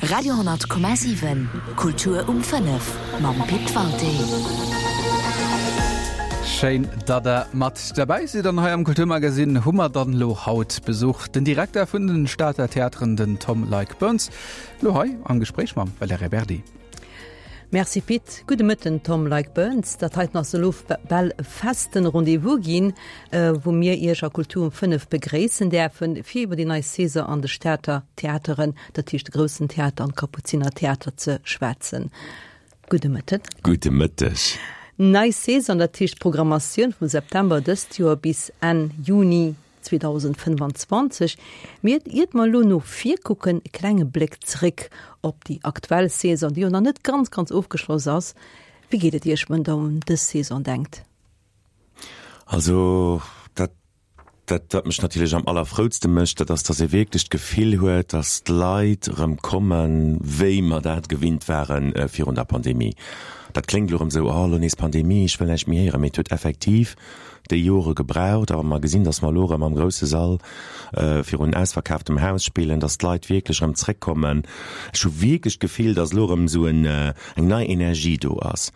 Radio,7 Kultur um 5 mam Pit Walté. Schéin, datt der mat derbäi sidd. An hei am Kulturmagasinn hu mer dann elo haut Besuch, den Direkter vun den Stater Theateren, den Tom Leick Burns, elo hei am Gespréich mam Valerija Berdi. Merci Pit. Gudde Mëtten Tom Leick Burns. Dat heiten ass elo bal e festen Rendez-vous ginn, wou mir Iech a Kultur um 5 begréissen däerfen, fir iwwer déi nei Saison an de Stater Theateren, dat heescht de Groussen Theater an d'Kapuziner Theater ze schwätzen. Gudde Mëtten. Gudde Mëtteg. Nei Saison, dat heescht d'Programmatioun vum September dëst Joer bis Enn Juni 2025. Mee iert mer elo no vir kucken, e klenge Bléck zréck op déi aktuell Saison, déi jo nach net ganz, ganz ofgeschloss ass. Wéi geet et Iech, wann Der un dës Saison denkt? Also dat, dat wat mech natierlech am allerfroutste mécht, dat ass, datt ee wierklech d'Gefill huet, datt d'Leit erëm kommen, wéi mer dat gewinnt ware virun der Pandemie. Dat kléngt elo erëm esou, oh elo nees Pandemie, ech wëll näischt méi héieren, mee et huet effektiv déi Jore gebraucht, a wa mer gesinn, datt mer elo erëm am grousse Sall virun ausverkaaftem Haus spillen, datt d'Leit wierklech erëm zréckkommen. Ech hu wierklech d'Gefill, datt elo erëm esou en, eng nei Energie do ass.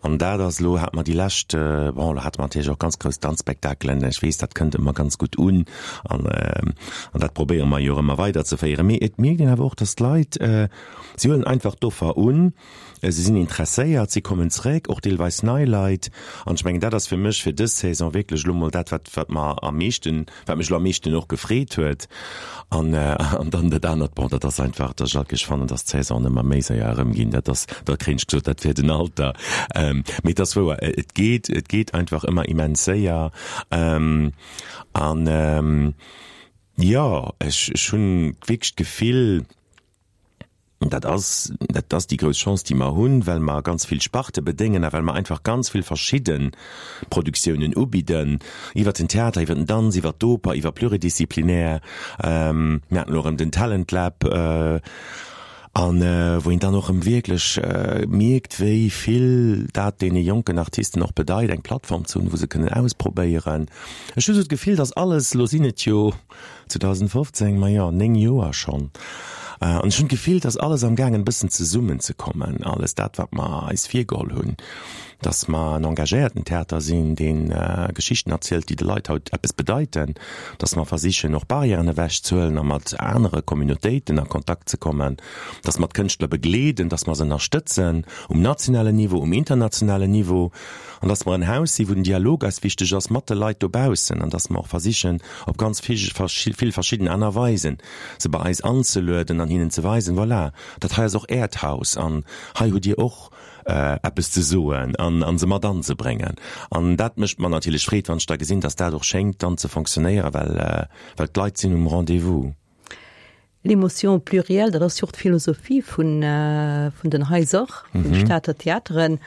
An dat ass elo, hate mer déi lescht, bon, elo hate mer natierlech och ganz grouss Danzspektakelen, ech weess, dat kënnt ëmmer ganz gutt un an an dat probéiere mer jo och ëmmer weiderzeféieren. Mee et mierkt een awer och, datt d'Leit, si huelen einfach d'Offer un. Si sinn interesséiert, si kommen zréck, och deelweis nei Leit. An ech mengen, dat ass fir mech fir dës Saison wierklech elo mol dat, wat, wat mer am meeschten, wat mech elo am meeschten och gefreet huet. An, an dann dat anert, bon, dat ass einfach, datt ech alt géif fannen, datt d'Saisonen ëmmer méi séier erëmginn. Dat ass, da kréien ech gesot, dat wär den Alter. Mee et ass wouer, et geet, et geet einfach ëmmer immens séier. An, jo, ech, ech hunn wierklech d'Gefill, Dat ass, dat ass déi grouss Chance, déi mer hunn, well mer ganz vill Sparte bedéngen a well mer einfach ganz vill verschidde Produktiounen ubidden, iwwert den Theater, iwwert den Danz, iwwert d'Oper, iwwer pluridisciplinär. Mir haten elo erëm den Talent Lab, an wou een dann och erëm wierklech mierkt, wéi vill dat deene jonken Artisten och bedeit, eng Plattform ze hunn, wou se kënnen ausprobéieren. Ech hu sou d'Gefill, dass alles, elo sinn et jo, 2015, majo, 9 Joer schonn. An ech hunn d'Gefill, dass alles am gaangen e bëssen zesummenzekommen, alles dat, wat mer eis virgeholl hunn, dass mer en engagéierten Theater sinn, dee Geschichten erzielt, déi de Leit haut eppes bedeiten, dass mer versichen, och Barrièren ewechzehuelen a mat anere Communautéiten a Kontakt ze kommen, dass mer d'Kënschtler begleeden, dass mer se ënnerstëtzen um nationalen Niveau, um internationalen Niveau. An dass mer en Haus sinn, wou den Dialog eis wichteg ass mat de Leit dobaussen an dass mer och versichen, op ganz vill verschidden aner Weisen se bei eis anzelueden an hinnen ze weisen, Voilà, dat hei ass och Äert Haus an hei hutt Dir och eppes ze soen an se mat anzebréngen. An dat mécht mer natierlech Freed, wann ech da gesinn, dass dat och schéngt dann ze fonctionnéieren, well d'Leit sinn um Rendez-vous. L'émotion plurielle, dat ass jo och d'Philosophie vun vun den Haiser, vun de Stater Theateren.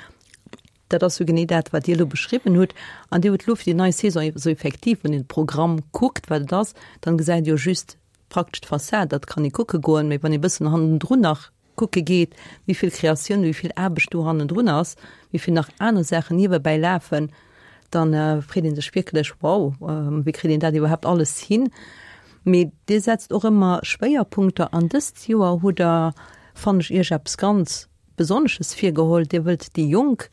Dat ass jo genee dat, wat Dir elo beschriwwen hutt. An Dir hutt elo fir déi nei Saison esou effektiv, wann een de Programm kuckt, wat et ass, dann gesäit ee jo just praktesch d'Fassad, dat kann ee kucke goen. Mee wann ee bëssen hannendrun nach kucke geet, wéi vill Kreatioun, wéi vill Aarbecht do hannendrun ass, wéi vill nach aner Saachen niewebäi lafen, dann freet ee sech wierklech, wow, wéi kritt een dat iwwerhaapt alles hin? Mee Dir setzt och ëmmer Schwéierpunkter an dëst Joer hutt Der, fannen ech, Iech eppes ganz Besonnesches virgeholl. Dir wëllt déi Jonk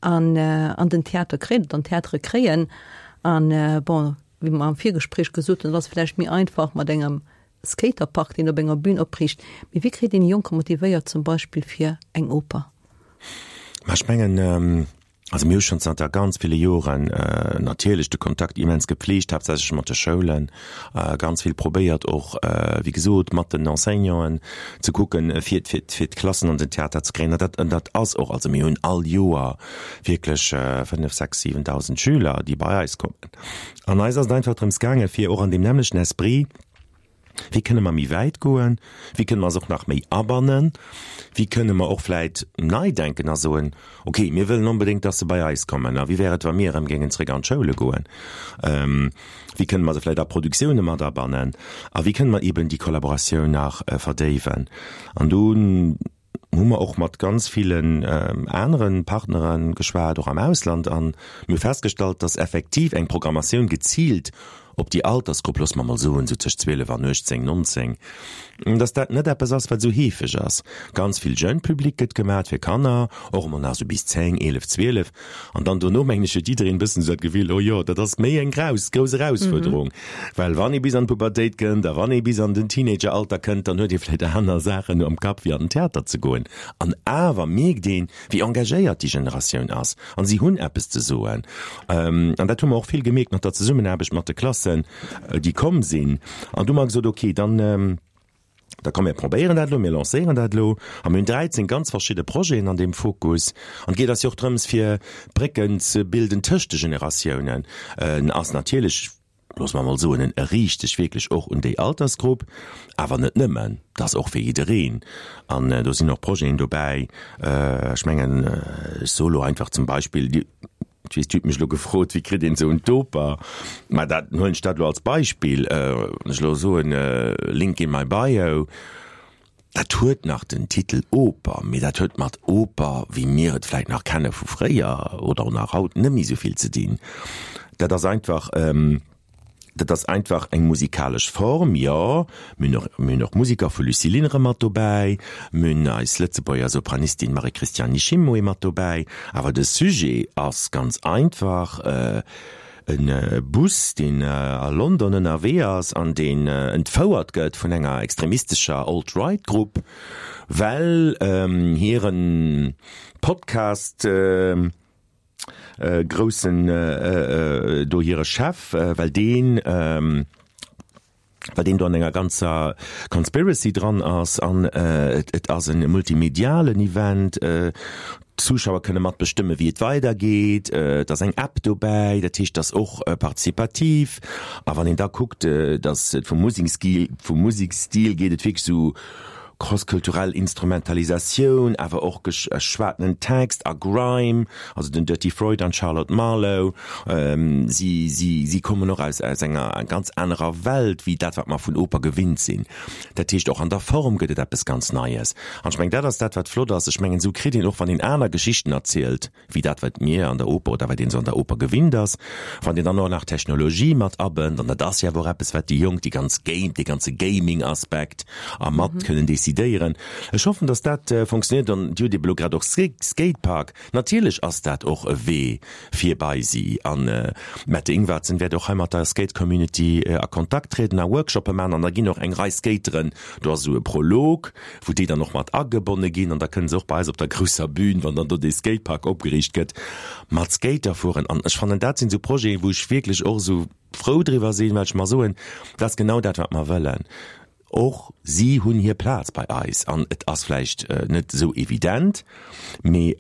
an an den Theater kréien oder an d'Theatere kréien. An bon, wéi mer am Virgespréich gesot hunn, et ass vläicht méi einfach mat engem Skaterpark, deen op enger Bühn opriicht. Mee wéi kritt een déi Jonker motivéiert zum Beispill fir eng Oper? Ma ech mengen, also mir hu schonn zanter ganz ville Joren natierlech de Kontakt immens gepflegt, haaptsächlech mat de Schoulen, ganz vill probéiert och, wéi gesot, mat den Enseignanten ze kucken, fir, fir, fir d'Klassen an den Theater ze kréien. An dat, an dat ass och, also mir hunn all Joer wierklech 5, 6, 7.000 Schüler, déi bei eis kommen. An eis ass et einfach drëms gaangen, fir och an deem nämmlechten Esprit, Wéi kënne mer méi wäit goen? Wéi kënne mer se och nach méi abannen? Wéi kënne mer och vläit nei denken a soen, Okay, mir wëllen onbedéngt, dass se bei eis kommen. A wéi wär et, wa mir erëm géingen zréck an d'Schoule goen? Wéi kënne mer se vläit a Produktioune mat abannen? A wéi kënne mer eeben déi Kollaboratioun nach verdéiwen? An do hu mer och mat ganz villen anere Partnere geschwat, och am Ausland, a mir hu festgestallt, dass effektiv eng Programmatioun geziilt. op déi Altersgrupp, loosse mer mol soen, esou tëscht 12 an 18, 19, dass dat net eppes ass, wat esou heefeg ass. Ganz vill Jeune Public gëtt gemat fir Kanner, och emol nach esou bis 10, 11, 12. An dann dono, mengen ech, huet jiddereen e bëssen esou dat Gefill, oh jo, dat ass méi eng graus, grouss Erausfuerderung. Well wann ee bis an d'Pubertéit kënnt a wann ee bis an den Teenageralter kënnt, dann huet ee vläicht aner Saachen am Kapp, wéi an den Theater ze goen. An awer mierkt een, wéi engagéiert déi Generatioun ass an si hunn eppes ze soen. An dat hu mer och vill gemierkt mat der Zesummenaarbecht mat de Klassen, déi komm sinn. An du hu mer gesot, okay, dann, da komm mir probéieren dat elo, mir lancéieren dat elo. A mir hunn 13 ganz verschidde Projeten an deem Fokus. An et geet eis jo och drëms, fir Brécken ze bilden tëscht de Generatiounen. En ass natierlech loosse mer emol soen, en riicht sech wierklech och un déi Altersgrupp, awer net nëmmen, et ass och fir jiddereen. An do sinn och Projeten dobäi, ech mengen, ech soe lo einfach zum Beispill, Dir, ech weess, Dir hutt mech elo gefrot, wéi kritt een esou en d'Oper, mä dat huelen ech dat elo als Beispill, wann ech elo soen, Link in my bio, Dat huet nach den Titel Oper, mee dat huet mat Oper, wéi mir et vläit nach kenne vu fréier oder och nach haut, net méi esou vill ze dinn. Dat ass einfach, dat ass einfach eng musikalesch Form, jo. Mir hunn och, mir hunn och Musiker vu Lucilin erëm mat dobäi, mir hunn eis Lëtzebuerger Sopranistin Marie-Christiane Nishimwe mat dobäi, awer de Sujet ass ganz einfach, E Bus, deen a London ënnerwee ass an deen entfouert gëtt vun enger extremistescher Alt-Right-Grupp, well hire Podcast groussen do hire Chef, well deen well deen do an enger ganzer Conspiracy dran ass an et ass e multimedialen Event, d'Zuschauer kënne mat bestëmme wéi et weidergeet, et ass eng App dobäi, dat heescht et ass och participativ a wann een da kuckt, datt et vum Musekstil, vum Musekstil geet et wierklech esou Crosskulturell Instrumentalisatioun, awer och geschwatenen Text a Grime, also den Dirty Freud an d'Charlotte Marlow, si, si, si kommen och aus, aus enger ganz anerer Welt wéi dat, wat mer vun Oper gewinnt sinn. Dat heescht, och an der Form gëtt et eppes ganz Neies. An ech mengen, dat ass dat, wat flott ass. Ech mengen, esou kritt een och, wann een aner Geschichten erzielt, wéi dat wat mir an der Oper oder wat een esou an der Oper gewinnt ass, wann Dir dann och nach Technologie mat abënnt, an dat ass jo awer och eppes wat déi Jonk, déi ganz Game, dee ganze Gaming-Aspekt a mat kënnen decidéieren. Ech hoffen, datt dat fonctionnéiert an Dir hutt ebe lo grad och Skatepark, natierlech ass dat och e Wee fir bei si an d'Mette Ingvartsen wäert och hei mat der Skate-Community a Kontakt trieden a Workshoppe maachen an da ginn och eng Rei Skateren, do ass esou e Prolog, wou déi dann och mat agebonne ginn an da kënne se och bei eis op der grousser Bühn, wann dann do dee Skatepark opgeriicht gëtt, mat Skater fueren. An ech fannen, dat sinn esou Projeten, wou ech wierklech och esou frou driwwer sinn, well ech mer soen, dat ass genau dat, wat mer wëllen. Och si hunn hir Plaz bei eis an et ass vläicht net esou evident, mee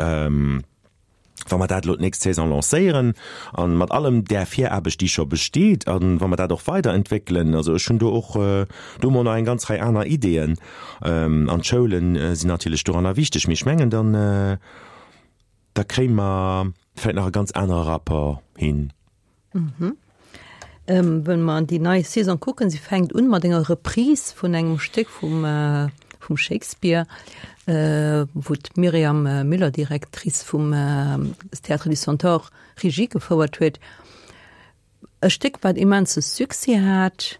Wa mer dat elo d'nächst Saison lancéieren a mat allem där Viraarbecht, déi scho besteet, a wa mer dat och weiderentwéckelen, also ech hunn do och do emol nach eng ganz Rei aner Ideeën, an d'Schoule sinn natierlech doranner wichteg, mee ech mengen, dann, da kréie mer vläicht nach e ganz anere Rapport hin. Wënn mer an déi nei Saison kucken, se fänkt un mat enger Reprise vun engem Stéck vum vum Shakespeare, wou d'Myriam Müller, Directrice vum Théâtre du Centaure, Regie gefouert huet. E Stéck, wat immense Succès hat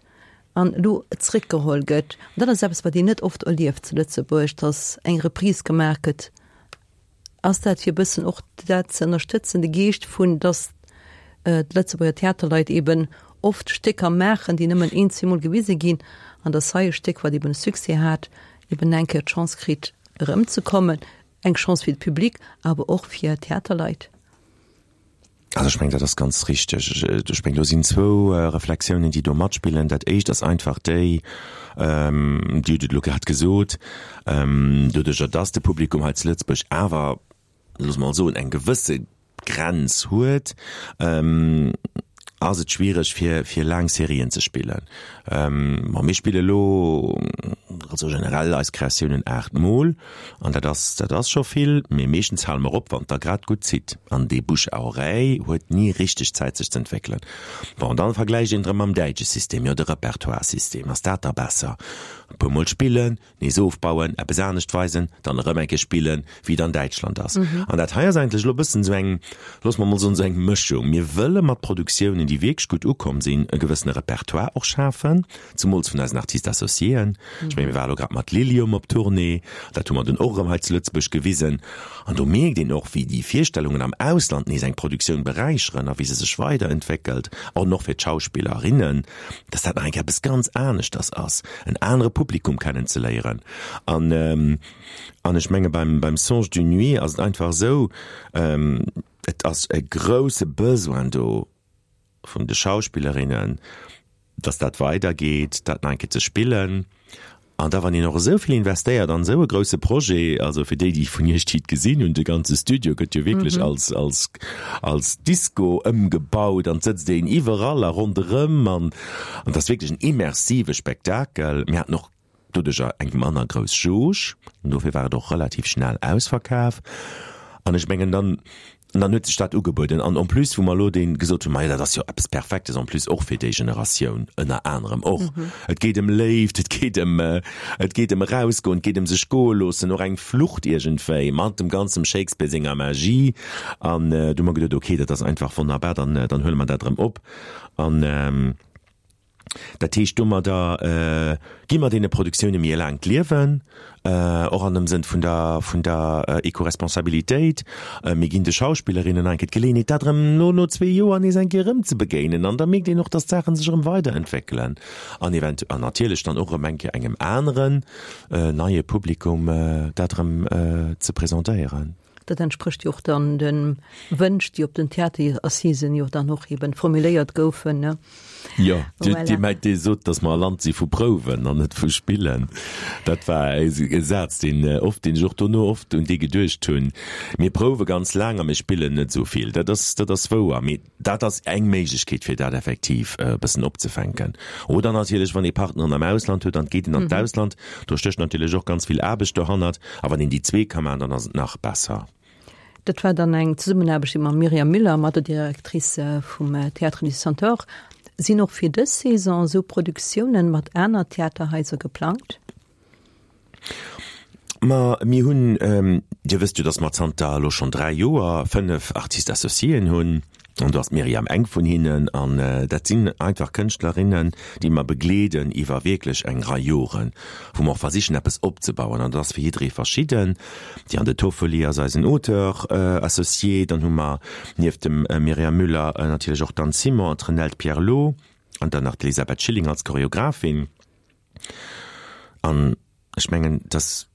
an elo zréckgeholl gëtt. An dat ass eppes, wat een net oft erlieft zu Lëtzebuerg, datt eng Reprise gemaach gëtt Ass dat fir e bëssen och dat ze ënnerstëtzen, de Geescht vun, datt d'Lëtzebuerger Theaterleit eben oft Stécker maachen, déi nëmmen een, zweemol gewise ginn, an datt hei e Stéck, wat eben e Succès hat, eben eng Kéier d'Chance kritt erëmzekommen, eng Chance fir de Public, awer och fir d'Theaterleit? Also ech mengen, dat ass ganz richteg. Ech mengen, do sinn zwou Reflexiounen, déi do matspillen. Dat éischt ass einfach déi, Dir hutt et elo grad gesot, doduerjer dass de Publikum hei zu Lëtzebuerg awer, loosse mer mol soen, eng gewësse Grenz huet, ass et schwiereg fir fir laang Serien ze spillen. Ma mir spille lo also generell eis Kreatiounen 8 mol an dat ass dat ass scho vill, mee meeschtens hale mer op wann et da grad gutt zitt an dee Bouche à oreille huet ni richteg Zäit sech z'entwéckelen. Bon dann vergläicht een erëm mam däitsche System, jo de Repertoire-System, ass dat da besser? E puer mol spillen, nees ofbauen, eppes anescht weisen, dann erëm eng Kéier spillen, wéi et an Däitschland ass. An dat hei ass eigentlech elo e bëssen esou eng, loosse mer emol soen, esou eng Mëschung. Mir wëlle mat Produktiounen, déi. Produktiounen, déi wierklech gutt ukomm sinn, e gewëssene Repertoire och schafen, zemools vun eisen Artistes associéen. Ech mengen, mir ware lo grad mat Lilium op Tournée, dat hu mer dunn och erëm hei zu Lëtzebuerg gewisen. An do mierkt een och, wéi déi Virstellungen am Ausland nees eng Produktioun beräicheren a wéi se sech weiderentwéckelt, an och fir d'Schauspillerinnen, dass dat nach eng Kéier eppes ganz aneschters ass, en anere Publikum kennenzeléieren. An, an ech menge beim, beim Songe d'une nuit ass et einfach esou, et ass e grouse Besoin do vun de Schauspillerinnen, dass dat weidergeet, dat nach eng Kéier ze spillen. An da wann een och esou vill investéiert an esou e grouse Projet, also fir déi, déi vun Iech, déi et gesinn hunn, de ganze Studio gëtt jo wierklech als, als, als Disco ëmgebaut an et sëtzt een iwwerall a ronderëm an, an et ass wierklech en immersive Spektakel. Mir haten och doduercher eng manner grouss Jauge, dofir war et och relativ schnell ausverkaf. An ech mengen dann, dann huet sech dat ugebueden. An en plus, wou mer elo dee gesot hunn, majo dat ass jo eppes Perfektes en plus och fir déi Generatioun ënner anerem och. Et geet ëm Léift, et geet ëm, et geet ëm erausgoen, et geet ëm sech goe loossen, och eng Flucht iergendwéi mat dem ganzem Shakespeare senger Magie. An du hu mer geduet, okay, dat ass einfach wonnerbar, dann, dann huele mer dat erëm op. An Dat heescht, domadder gi mer deene Produktioune méi e laangt Liewen, och an dem Sënn vun der, vun der Ecoresponsabilitéit. Mir ginn de Schauspillerinnen eng Kéier d'Geleeënheet, dat erëm no, no zwee Joer nees eng Kéier erëm ze begéinen. An da mierkt een och, dass d'Saache sech erëm weiderentwéckelen an eventu-, an natierlech dann och erëm eng Kéier engem aneren, neie Publikum dat erëm ze presentéieren. Dat entsprécht jo och dann de Wënsch, déi op den Theaterassisen jo dann och eben formuléiert goufen, ne? Jo, Dir, Dir mengt, Dir sot, datt mer e Land si vu Prouwen an net vu Spillen. Dat war e Saz, deen oft, deen ech och dono oft un dee geduecht hunn. Mir prouwe ganz laang a mir spillen net esou vill. Dat ass, dat ass wouer. Mee dat ass eng Méiglechkeet, fir dat effektiv e bëssen opzefänken. Oder natierlech, wann ee Partneren am Ausland huet an et geet een an d'Ausland, do stécht natierlech och ganz vill Aarbecht dohannert. A wann een déi zwee ka maachen, dann ass et nach besser. Dat war dann eng Zesummenaarbecht mam Myriam Müller, mat der Directrice vum Théâtre du Centaure. Sinn och fir dës Saison esou Produktiounen mat aner Theaterhaiser geplangt? Ma mir hunn, Dir wësst jo, datt mer zanter elo schonn 3 Joer 5 Artistes associéen hunn, an do ass d'Myriam eng vun hinnen. An dat sinn einfach Kënschtlerinnen, déi mer begleeden iwwer wierklech eng Rei Joren, wou mer och versichen eppes opzebauen. An dat ass fir jidderee verschidden. D'Diane de Toffoli ass eisen Auteur associé. Dann hu mer nieft dem Myriam Müller natierlech och d'Anne Simon an d'Renelde Pierlot an dann nach d'Elisabeth Schilling als Choreographin. An ech mengen, dass,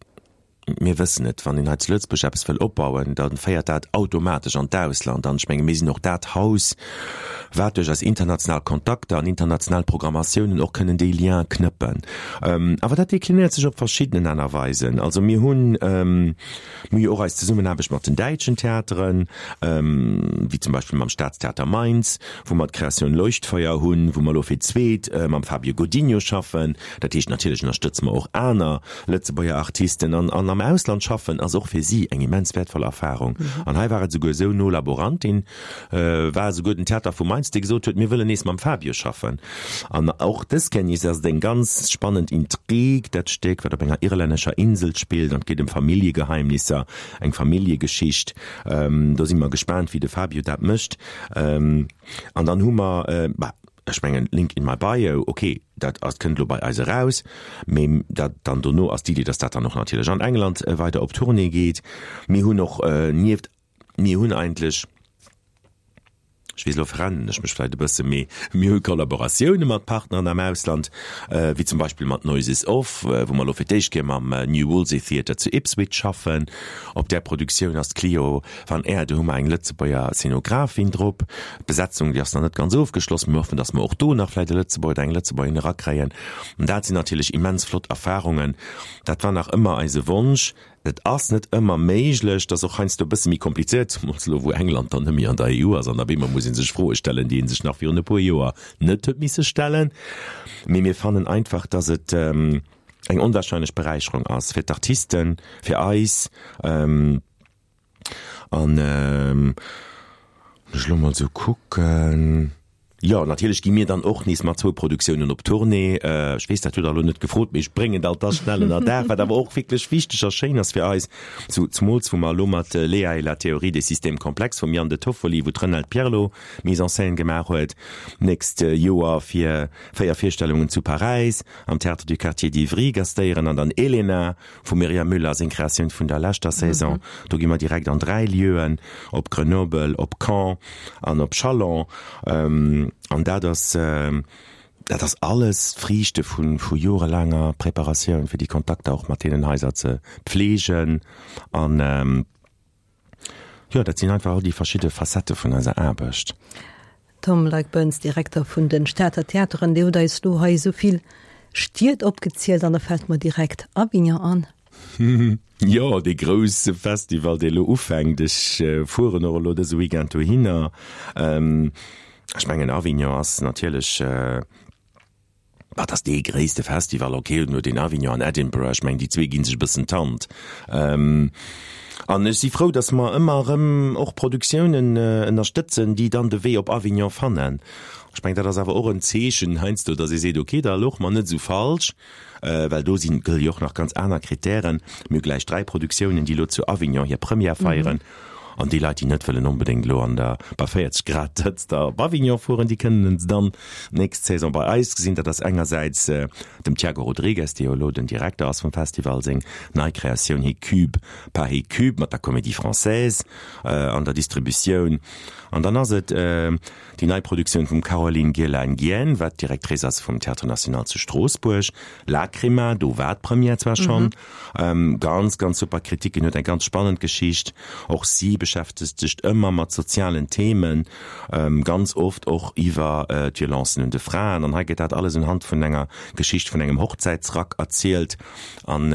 mir wëssen et, wann een hei zu Lëtzebuerg eppes wëll opbauen, da féiert dat automatesch an d'Ausland. An ech menge mir sinn och dat Haus, wat duerch eis international Kontakter an international Programmatiounen och kënnen déi Lien knëppen. Awer dat deklinéiert sech op verschiddenen aner Weisen. Also mir hunn, mir hu jo och eis Zesummenaarbecht mat den däitschen Theateren, wéi zum Beispill mam Staatstheater Mainz, wou mer d'Créatioun Leuchtfeuer hunn, wou mer elo fir d'zweet mam Fabio Godinho schaffen. Dat heescht, natierlech ënnerstëtze mer och aner Lëtzebuerger Artisten. An an am Ausland schaffen ass och fir si eng immens wäertvoll Erfarung. An hei war et esouguer esou, no Laborantin war esouguer den Theater vu Mainz, dee gesot huet, mir wëllen nees mam Fabio schaffen. An och dës Kéier nees ass et eng ganz spannend Intrig, dat Stéck, wat op enger irlännescher Insel spillt an et geet ëm Familljegeheimnisser, eng Familljegeschicht. Do si mer gespaant, wéi de Fabio dat mécht. An dann hu mer, bah, ech mengen, Link in my bio, okay, dat ass, kënnt elo bei eis eraus, mee dat dann dono ass d'Idee, dass dat dann och natierlech an England weider op Tournée geet. Mir hunn och nieft, mir hunn eigentlech, ech weess, elo verrennen ech mech vläicht e bësse, mee mir hu Kollaboratioune mat Partneren am Ausland, wéi zum Beispill mat Noises Off, wou mer elo fir d'éischt Kéier mam New Wolsey Theatre zu Ipswich schaffen. Op där Produktioun ass d'Clio Van Aerde, do hu mer eng Lëtzebuerger Szenografin drop. D'Besetzung, déi ass nach net ganz ofgeschloss. Mir hoffen, datt mer och do nach vläicht e Lëtzebuerger oder eng Lëtzebuergerin erakréien. An dat sinn natierlech immens flott Erfarungen. Dat war nach ëmmer eise Wonsch. Et ass net ëmmer méiglech, dat ass och heiansdo e bësse méi komplizéiert, zemools elo wou England dann net méi an der EU ass an op eemol muss ee sech Froe stellen, déi ee sech nach virun e puer Joer net huet misse stellen. Mee mir fannen einfach, datt et eng onwahrscheinlech Beräicherung ass fir d'Artisten, fir eis. An wann ech elo mol esou kucken. Jo, natierlech gi mir dann och nees mat zwou Produktiounen op Tournée. Ech weess, dat hutt Der elo net gefrot, mee ech bréngen et alt da schnell ënner Daach, wat awer och wierklech wichteg a schéin ass fir eis, zu zemools wou mer elo mat Léa et la théorie des systèmes complexes vum Yann De Toffoli, wou d'Renelde Pierlot Mise en scène gemaach huet, d'nächst Joer fir 4 Virstellungen zu Paräis am Théâtre du Quartier d'Ivry gastéieren an dann Elena Vum Myriam Müller seng Kreatioun vun der leschter Saison. Do gi mer direkt an 3 Lieuen, op Grenoble, op Caen an op Chalon. An dat ass, dat ass alles d'Friichte vu vu jorelaanger Preparatioun, fir déi Kontakter och mat deenen Haiser ze pflegen an. Jo, dat sinn einfach all déi verschidde Facettë vun eiser Aarbecht. Tom Leick-Burns, Direkter vun de Stater Theateren, Dir hutt eis elo hei esou vill Stied opgezielt an da fält mer direkt Avignon an. Jo, dee grousse Festival, dee elo ufänkt. Ech fueren och elo dëse Weekend dohinner. Ech mengen, Avignon ass natierlech. Wat ass dee gréisste Festival? Ok, no den Avignon an Edinburgh, ech mengen déi zwee ginn sech e bëssen d'Hand. An ech si frou, datt mer ëmmer erëm och Produktiounen ënnerstëtzen, déi dann de Wee op Avignon fannen. Ech mengen, dat ass awer och en Zeechen heiansdo, datt ee seet, ok, da louch mer net esou falsch, well do sinn, gëlle jo och nach ganz aner Kritären. Mir hu gläich 3 Produktiounen, déi elo zu Avignon hir Première feieren. An déi Leit, déi net wëllen onbedéngt elo an der bei 40 Grad Hëtzt op Avignon fueren, déi kënnen se dann d'nächst Saison bei eis gesinn. Dat ass engersäits dem Tiago Rodrigues, dee jo elo den Direkter ass vum Festival, seng nei Kreatioun He Cube pas He Cube mat der Comédie Française an der Distributioun. An dann ass et Déi nei Produktioun vum Caroline Girlain-Gien, wat Directrice ass vum Théâtre National zu Stroossbuerg, Lacrima, do war d'Première zwar schonn, ganz, ganz super Kritiken, huet eng ganz spannend Geschicht. Och si beschäftegt sech ëmmer mat sozialen Themen, ganz oft och iwwer d'Violencen un de Fraen. An hei gëtt dat alles unhand vun enger Geschicht vun engem Hochzäitsrack erzielt. An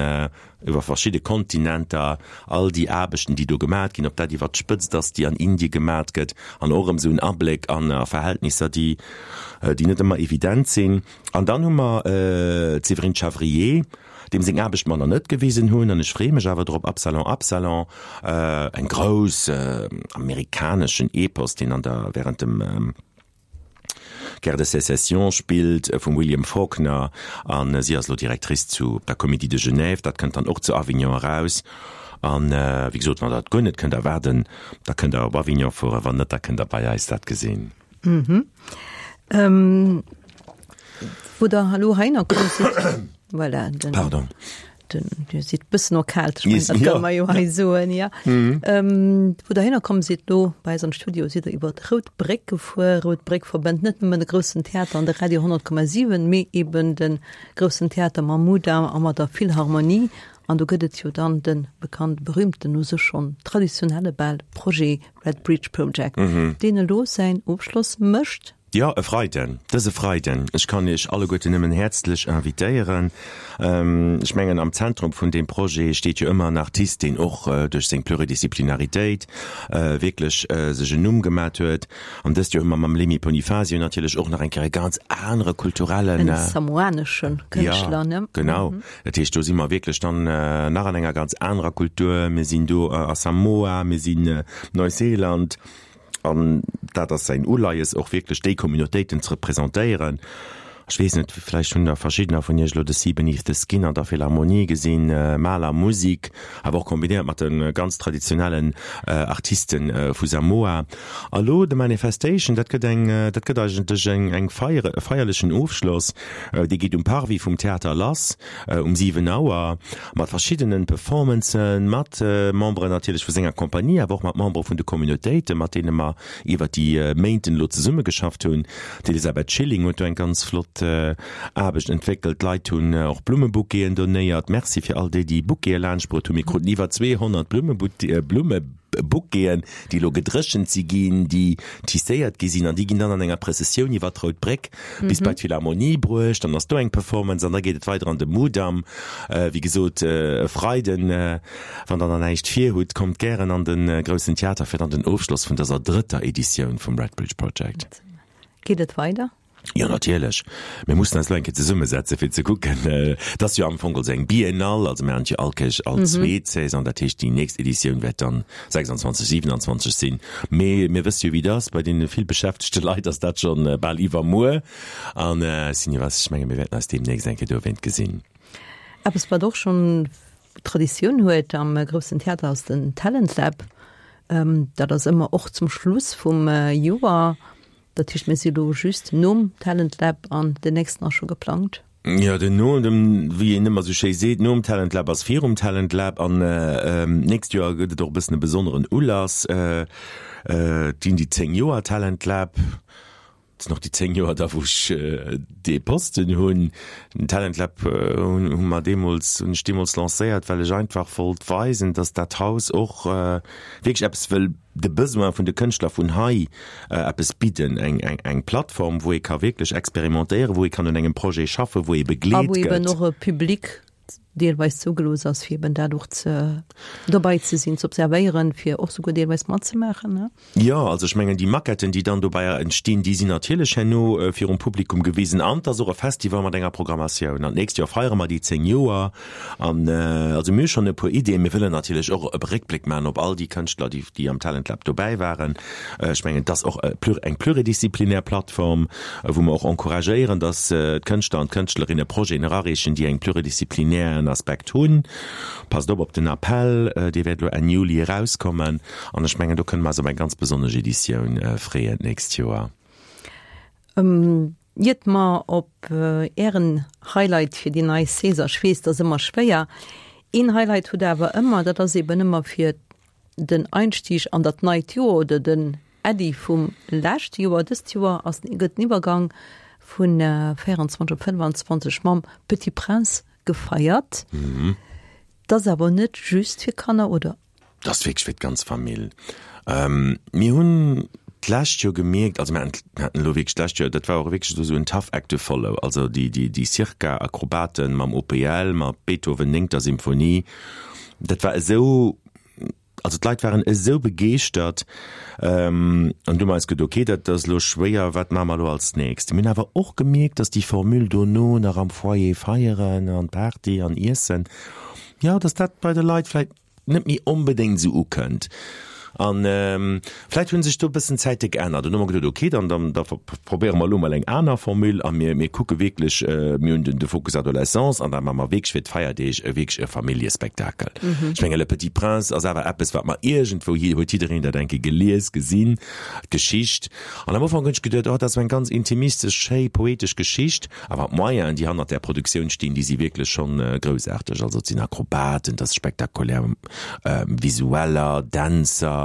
iwwer verschidde Kontinenter, all déi Aarbechten, déi do gemat ginn, ob dat iwwert d'Spëtzt ass, déi an Indie gemat gëtt, an och erëm esou en Abléck an a Verhältnisser, déi, déi net ëmmer evident sinn. An dann hu mer d'Séverine Chavrier, deem seng Aarbecht mer nach net gewisen hunn, an ech freeë mech awer drop, Absalon, Absalon, eng grouss amerikaneschen Epos, deen an der, während dem, Guerre de Sécession spillt vum William Faulkner an si ass elo Directrice zu der Comédie de Genève. Dat kënnt dann och zu Avignon eraus. An wéi gesot, wann der et guer net kënnt erwaarden, da kënnt der op Avignon fueren, wann net, da kënnt der bei eis dat gesinn. Wou der elo heihinner komm sidd, voilà, den. Pardon. Den, Dir sidd bëssen erkaalt, ech mengen, dat kann mer jo hei soen, ja. Mhm. Ähm, wou der hinner komm sidd lo bei eis an Studio, sidd der iwwer d'Rout Bréck gefuer. Rout Bréck verbënnt net nëmmen de Groussen Theater an de Radio 100,7, mee eben de Groussen Theater mam Mudam a mat der Philharmonie. An do gëtt et jo dann de bekannt, berühmten, u sech schonn traditionelle bal Projet Red Bridge Project, mhm. deen elo säin Ofschloss mécht. Jo, e Freiden, dëse Freiden. Ech kann Iech alleguerten nëmmen häerzlech invitéieren. Ech mengen, am Zentrum vun deem Projet steet jo ëmmer en Artist, deen och duerch seng Pluridisciplinaritéit wierklech sech en Numm gemat huet. An dëst Joer hu mer mam Lemi Ponifasio natierlech och nach eng Kéier e ganz anere kulturellen. En samoanesche Kënschtler, ne? Jo, genau. Dat heescht, do si mer wierklech dann nach an enger ganz anerer Kultur. Mir sinn do a Samoa, mir sinn Neuseeland. An dat ass säin Uleies, och wierklech déi Communautéiten ze representéieren. Ech weess net, vläicht hunn der verschiddener vun Iech elo de Sea Beneath the Skin an der Philharmonie gesinn, Mahler Musik, awer och kombinéiert mat de ganz traditionellen Artiste vu Samoa. A lo de Manifestation, dat gëtt eng, dat gëtt eigentlech eng, eng Feier, e feierlechen Ofschloss. Dee geet um Parvis vum Theater lass um 7 Auer mat verschiddenen Performancen, mat Memberen natierlech vu senger Compagnie, awer och mat Membere vun de Communautéiten, mat deene mer iwwer déi Méinten elo zesummegeschafft hunn. D'Elisabeth Schilling huet do eng ganz flott Aarbecht entwéckelt. D'Leit hunn och Blummebouqueten donéiert. Merci fir all déi, déi Bouquete laanschtbruet hunn. Mir kruten iwwer 200 Blummebouqueten, déi elo gedréchent si ginn, déi tisséiert gi sinn an déi ginn dann an enger Prëssessioun iwwer d'Rout Bréck bis bei d'Philharmonie bruecht. Dann ass do eng Performance an da geet et weider an de Mudam. Wéi gesot, e Freiden, wann der nach näischt vir hutt, kommt gären an de Groussen Theater fir dann den Ofschloss vun dëser drëtter Editioun vum Red Bridge Project. Geet et weider? Jo, natierlech. Mir mussen eis elo eng Kéier zesummesetzen, fir ze kucken. Et ass jo am Fong also eng Biennale, also mir han et jo all Kéier all zweet Saison, dat heescht déi nächst Editioun wäert dann 26, 27 sinn. Mee mir wësse jo wéi et ass, bei deene vill beschäftegte Leit ass dat schonn bal iwwermuer. An ech sinn iwwer, ech menge mir wäerten eis deemnächst eng Kéier dowéint gesinn. Eppes wat och schonn Traditioun huet am Groussen Theater ass den Talent Lab. Dat ass ëmmer och zum Schluss vum Joer. Dat heescht, mir si lo just nom Talent Lab an den nächsten ass scho geplangt. Jo, den no dem, wéi een ëmmer sou schéi seet, nom Talent Lab ass virum Talent Lab. An d'nächst Joer gëtt et och e bëssen e besonneren Ulass. Et ginn déi 10 Joer Talent Lab. Et sinn och déi 10 Joer da wou ech dee Posten hunn. Den Talent Lab hunn hu mer deemools, hunn ech deemools lancéiert, well ech einfach wollt weisen, datt dat Haus och wierklech eppes wëll de Besoin vun de Kënschtler vun hei eppes bidden, eng, eng, eng Plattform, wou ee ka wierklech experimentéieren, wou ee kann un engem Projet schaffen, wou ee begleet gëtt. A wou eben och e Public deelweis zougelooss ass, fir eben dat och ze, dobäi ze sinn, ze observéieren, fir och souguer deelweis matzemaachen, ne? Jo, also ech mengen, déi Maquetten, déi dann dobäi entstinn, déi sinn natierlech herno virum Publikum gewisen. An et ass och e Festival mat enger Programmatioun. An d'nächst Joer feiere mer déi 10 Joer. An also mir hu schonn e puer Ideeën. Mir wëllen natierlech och e Réckbléck maachen op all déi Kënschtler, déi, déi am Talent Lab dobäi waren. Ech mengen, et ass och eng pluridisziplinär Plattform, wou mer och encouragéieren, datt d'Kënschtler an d'Kënschtlerinne Projeten erareechen, déi eng pluridisziplinären Aspekt hunn. Passt op op den Appell, dee wäert elo Enn Juli erauskommen. An ech mengen, do kënne mer eis op eng ganz besonnesch Editioun freeën d'nächst Joer. Iert mer op Ären Highlight fir déi nei Saison, ech weess, dat ass ëmmer schwéier, een Highlight hutt Der awer ëmmer, dat ass eben ëmmer fir den Einstieg an dat neit Joer oder den Äddi vum leschte Joer. Dëst Joer ass, gëtt den Iwwergang vun 24 op 25 mam Petit Prince gefeiert. Dat ass awer net just fir Kanner, oder? Dat ass wierklech fir d'ganz Famill. Mir hunn d'lescht Joer gemierkt, also mir haten elo wierklech d'lescht Joer, dat war och wierklech esou en tough act to follow, also déi, déi, déi Circa-Akrobaten mam OPL, mat Beethoven néngter Symphonie, dat war esou, also d'Leit waren esou begeeschtert. An du hu mer eis geduet, okay, dat ass elo schwéier, wat maache mer elo als nächst? Mir hunn awer och gemierkt, datt déi Formule dono nach am Foyer feieren an Party an Iessen, jo, datt dat bei de Leit vläicht net méi onbedéngt esou ukënnt. An vläicht hu sech do e bëssen d'Zäite geännert. An du hu mer geduet, okay, dann, dann, da probéiere mer elo mol eng aner Formule a mir, mir kucke wierklech, mir hunn den, de Fokus Adolescence an da maache mer wierklech fir d'Feierdeeg e wierklech e Familljespektakel. Ech menge Le Petit Prince ass awer eppes, wat mer iergendwou, huet jiddereen dat eng Kéier gelies, gesinn, d'Geschicht. An am Ufank hunn ech geduet, oh, dat ass esou eng ganz intimistesch, schéi, poetesch Geschicht. Awer d'Moyenen, déi hannert där Produktioun stinn, déi si wierklech schonn groussaarteg. Also et sinn Akrobaten, et ass spektakulär Visueller, Dänzer.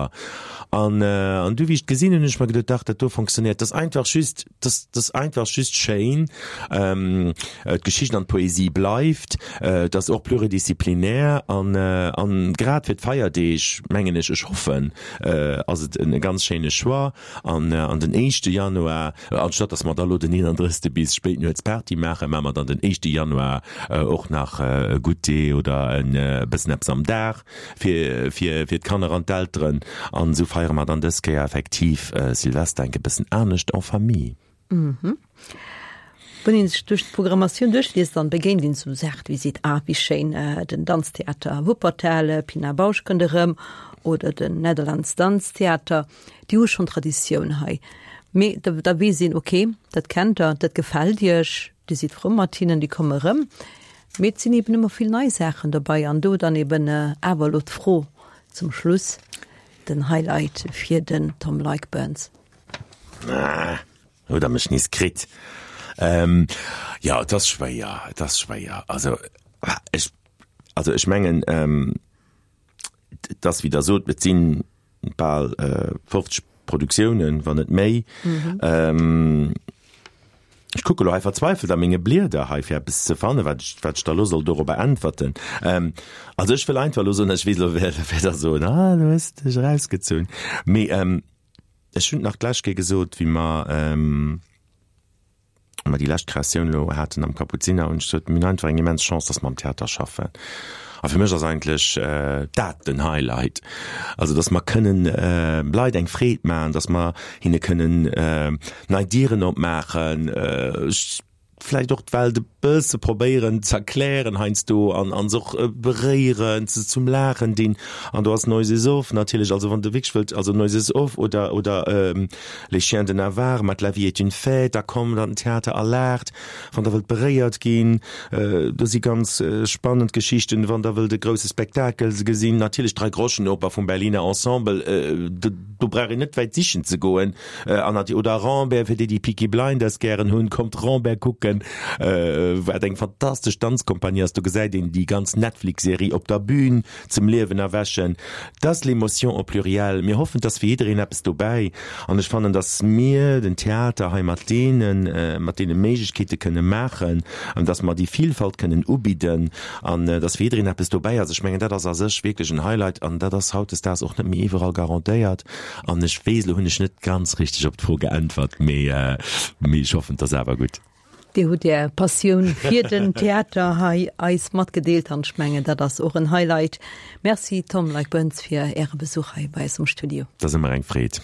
An an du wéi ech et gesinn hunn, hunn ech mer geduet, dach dat do fonctionnéiert. Et ass einfach just, et ass, et ass einfach just schéin. D'Geschicht an d'Poesie bleift. Et ass och pluridisziplinär an an grad fir d'Feierdeeg, mengen ech, ech hoffen, ass et e ganz schéine Choix. An an den éischte Januar, anstatt datt mer da lo den 31. bis spéit nuets Party maachen, maache mer dann den éischte Januar och nach e Goûter oder e bëssen eppes am Dag fir fir fir d'Kanner an d'Elteren. An esou feiere mer dann dës Kéier effektiv Silvester enk e bëssen anescht en famille. Wann een sech duerch d'Programmatioun duerchliest, dann begéint een sou Saachen wéi seet, ah wéi schéin, den Danztheater Wuppertal, Pina Bausch kënnt erëm oder den Netherlands Danztheater, déi hu schonn Traditioun hei. Mee da da weess een, okay, dat kennt der, dat gefält iech, dir sidd frou mat hinnen, déi komme erëm. Mee et sinn eben ëmmer vill nei Saachen dobei an do dann eben awer elo d'Fro zum Schluss, den Highlight fir den Tom Leick-Burns. Ah. Huet der mech nees kritt. Ähm, jo, et ass schwéier, et ass schwéier. Also, ech, also ech mengen, ähm, et ass, wéi Der sot, et si bal 50 Produktiounen, wann net méi. Ähm, ech kucke lo hei verzweifelt a menge Blieder hei, fir eppes ze fannen, wat ech, wat ech da lo soll dorobber äntwerten. Ähm, also ech wëll einfach lo soen, ech weess elo, wäert Der soen, ah, du hues dech erausgezunn. Mee, ähm, Ech hunn et nach d'lescht Kéier gesot, wéi mer, wéi mer déi lescht Kreatioun elo haten am Kapuziner, hunn ech gesot, mir hunn einfach eng immens Chance, dass mer am Theater schaffen. A fir mech ass eigentlech dat den Highlight, also dass mer kënnen Leit eng Freed maachen, dass mer hinne kënnen nei Dieren opmaachen, vläicht och d'Welt e bësse probéieren z'erklären heiansdo an an se och beréieren, se zum Laachen dinn. An do ass Noises Off natierlech, also wann de wierklech wëllt, also Noises Off oder oder Les Chiens de Navarre mat La vie est une fête, da kommt an den Theater a laacht, wann der wëllt beréiert ginn. Do si ganz spannend Geschichten, wann der wëllt e grousse Spektakel gesinn, natierlech d'Dreigroschenoper vum Berliner Ensemble, do brauch een net wäit sichen ze goen. An nati oder Rambert, fir déi déi Peaky Blinders gären hunn, kommt Rambert kucken, wat eng fantastesch Danzkompanie ass. Do gesäit een déi ganz Netflix-Serie op der Bühn zum Liewen erwächen. Dat ass l'émotion au pluriel. Mir hoffen, et ass fir jiddereen eppes dobäi. An ech fannen, datt mir den Theater hei mat deene mat deene Méiglechkeete kënne maachen, an datt mer déi Vielfalt kënnen ubidden an datt fir jiddereen eppes dobäi ass. Ech mengen, dat ass a sech wierklech en Highlight an dat ass hautdesdaags och net méi iwwerall garantéiert. An ech weess, elo hunn ech net ganz richteg op d'Fro geäntwert, mee mee ech hoffen, et ass awer gutt. Dir hutt Är Passioun fir den Theater hei eis matgedeelt an ech mengen, dat ass och en Highlight. Merci Tom Leick-Boentz fir Äre Besuch hei bei eis am Studio. Et ass ëmmer eng Freed.